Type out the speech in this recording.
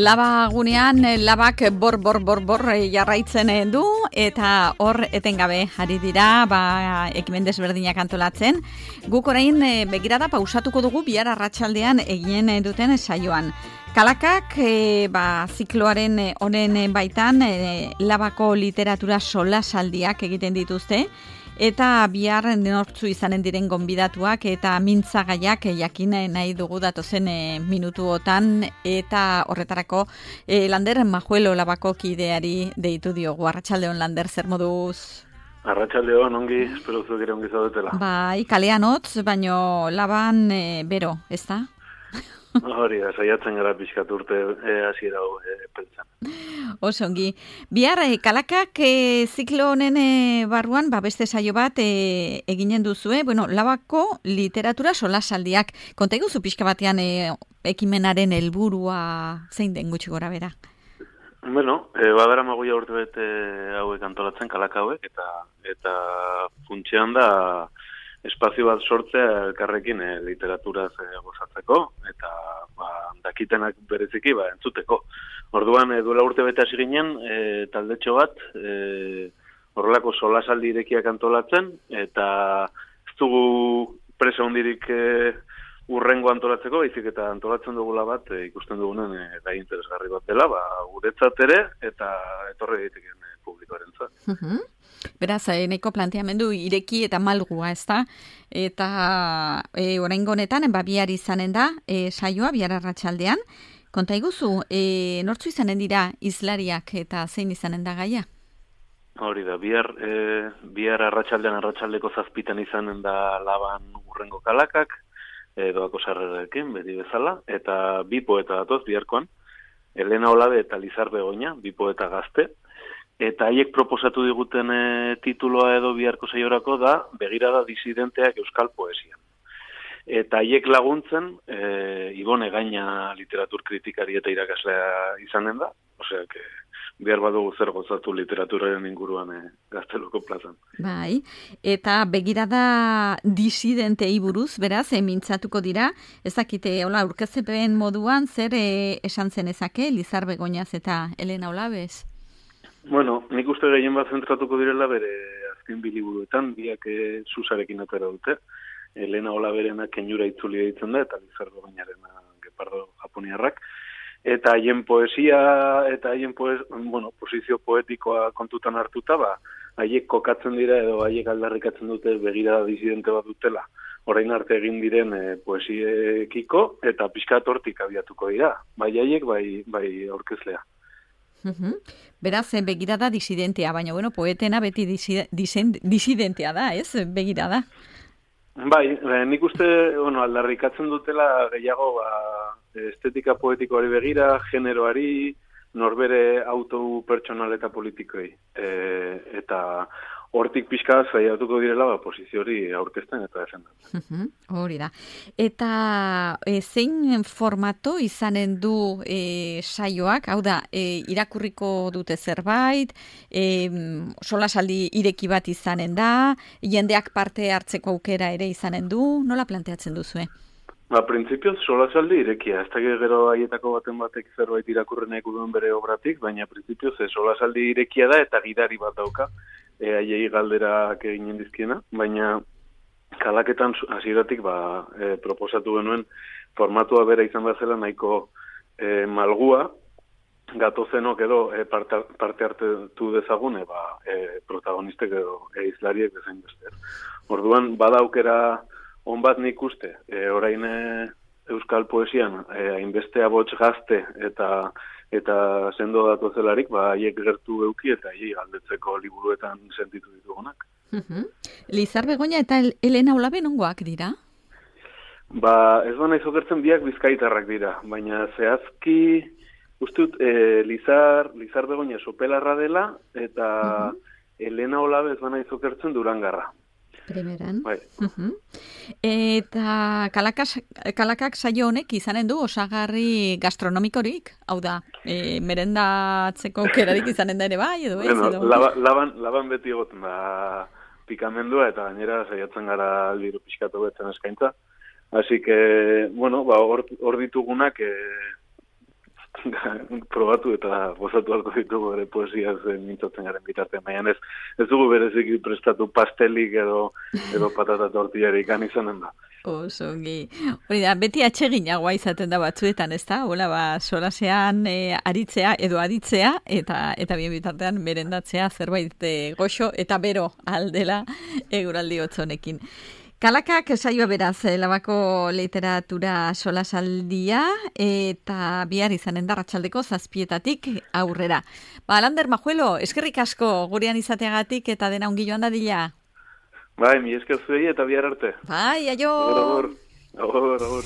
Laba gunean, labak bor jarraitzen du, eta hor etengabe ari dira, ekimen desberdinak antolatzen. Guk orain begirada pausatuko dugu bihar arratsaldean eginen duten saioan. Kalakak, zikloaren honen baitan, labako literatura solasaldiak egiten dituzte, eta bihar nortzu izanen diren gonbidatuak eta mintzagaiak jakin nahi dugu datozen minutuotan, eta horretarako Lander Majuelo labako kideari deitu diogu. Arratsaldeon, Lander, zer moduz? Arratsaldeon, ongi, espero zuek ere ongi zaudetela. Bai, kalean hotz, baino laban bero, ez da? Hori da, saiatzen gara pixkat urte hasiera pentsan. Osongi. Bihar, kalakak ziklo honen barruan, beste saio bat eginen duzue, labako literatura solasaldiak. Konta iguzu pixka batean ekimenaren helburua zein den gutxi gora bera? Badara magoia urte bete hauek antolatzen, kalak hauek, eta funtsean da espazio bat sortzea elkarrekin literaturaz gozatzeko, eta dakitenak bereziki entzuteko. Orduan, duela urte bete hasi ginen, taldetxo bat, horrelako solasaldi irekiak antolatzen, eta ez dugu presa hondirik urrengo antolatzeko, baizik eta antolatzen dugula bat, ikusten dugunen gai interesgarri bat dela, guretzat ere, eta etorri daiteken publikoarentzat. Beraz, nahiko planteamendu ireki eta malgua, ezta? Eta oraingo honetan, bihar izanen da, saioa, bihar arratsaldean. Konta iguzu, nortzu izanen dira hizlariak eta zein izanen da gaia? Hori da, bihar arratsaldeko 7 izanen da laban urrengo kalakak, doako sarrerarekin, beti bezala, eta bi poeta datoz biharkoan, Elena Olabe eta Lizar Begoña, bi poeta gazte, eta haiek proposatu diguten tituloa edo biharko saiorako da Begirada disidenteak euskal poesian. Eta haiek laguntzen Ibone Gaina literatur kritikari eta irakaslea izanen da, osea, bihar badugu zer gozatu literaturaren inguruan Gazteluko plazan. Bai, eta begirada disidentei buruz, beraz, mintzatuko dira, ezakite, aurkezpen moduan zer esan zenezake Lizar Begoñaz eta Elena Olabez? Nik uste gehien bat zentratuko direla bere azken biliburuetan, biak Susarekin atera dute. Elena Olaberena Kenjura itzuli deitzen da, eta Lizar Begoñarena Gepardo Japoniarrak. Eta haien poesia, eta haien posizio poetikoa kontutan hartuta, haiek kokatzen dira edo haiek aldarrikatzen dute begirada disidente bat dutela. Orain arte egin diren poesiekiko, eta pixkat hortik abiatuko dira. Bai haiek, bai aurkezlea. Beraz, begirada disidentea, baina poetena beti disidentea da, ez? Begirada. Bai, nik uste aldarrikatzen dutela gehiago estetika poetikoari begira, generoari, norbere auto pertsonal eta politikoei. Eta hortik pixka zaiatuko direla posizio hori aurkezten eta defendatzen. Hori da. Eta zein formato izanen du saioak? Hau da, irakurriko dute zerbait, solasaldi ireki bat izanen da, jendeak parte hartzeko aukera ere izanen du, nola planteatzen duzue? Printzipioz, solasaldi irekia. Ez da gero haietako batek zerbait irakurren duen bere obratik, baina printzipioz solasaldi irekia da eta gidari bat dauka, haiei galderak eginen dizkiena, baina kalaketan hasieratik proposatu genuen formatua bera izan bazela nahiko malgua, gatozenok edo parte hartu dezagune protagonistek edo hizlariek bezain beste. Orduan, badaukera on bat nik uste, orain euskal poesian hainbeste abots gazte eta sendo datozelarik, haiek gertu euki eta haiei galdetzeko liburuetan sentitu ditugunak. Lizar Begoña eta Elena Olabe nongoak dira? Ez naiz okertzen biak bizkaitarrak dira, baina zehazki ustut Lizar Begoña Sopelarra dela eta Elena Olabe ez naiz okertzen Durangarra. Primeran. Bai. Eta kalakak saio honek izanen du osagarri gastronomikorik? Hau da, merendatzeko aukerarik izanen da ere bai, edo ez? Laban beti egoten da pikamendua, eta gainera saiatzen gara aldiru pixkatu betzen eskaintza. Así que, hor ditugunak probatu eta gozatu halko ditugu ere poesiaz mintzatzen garen bitartean, baina ez dugu bereziki prestatu pastelik edo patata tortillarik izanen da. Osongi. Hori da, beti atseginagoa izaten da batzuetan, ez da? Hola, solasean aritzea edo aditzea, eta bien bitartean merendatzea zerbait goxo eta bero aldela eguraldi hotzonekin. Kalakak saioa beraz, Labako literatura solasaldia, eta bihar izanen da Arratsaldeko 7:00 aurrera. Lander Majuelo, eskerrik asko gurean izateagatik eta dena ongi joan dadila. Bai, mi esker zuei eta bihar arte. Bai, aio! Agur.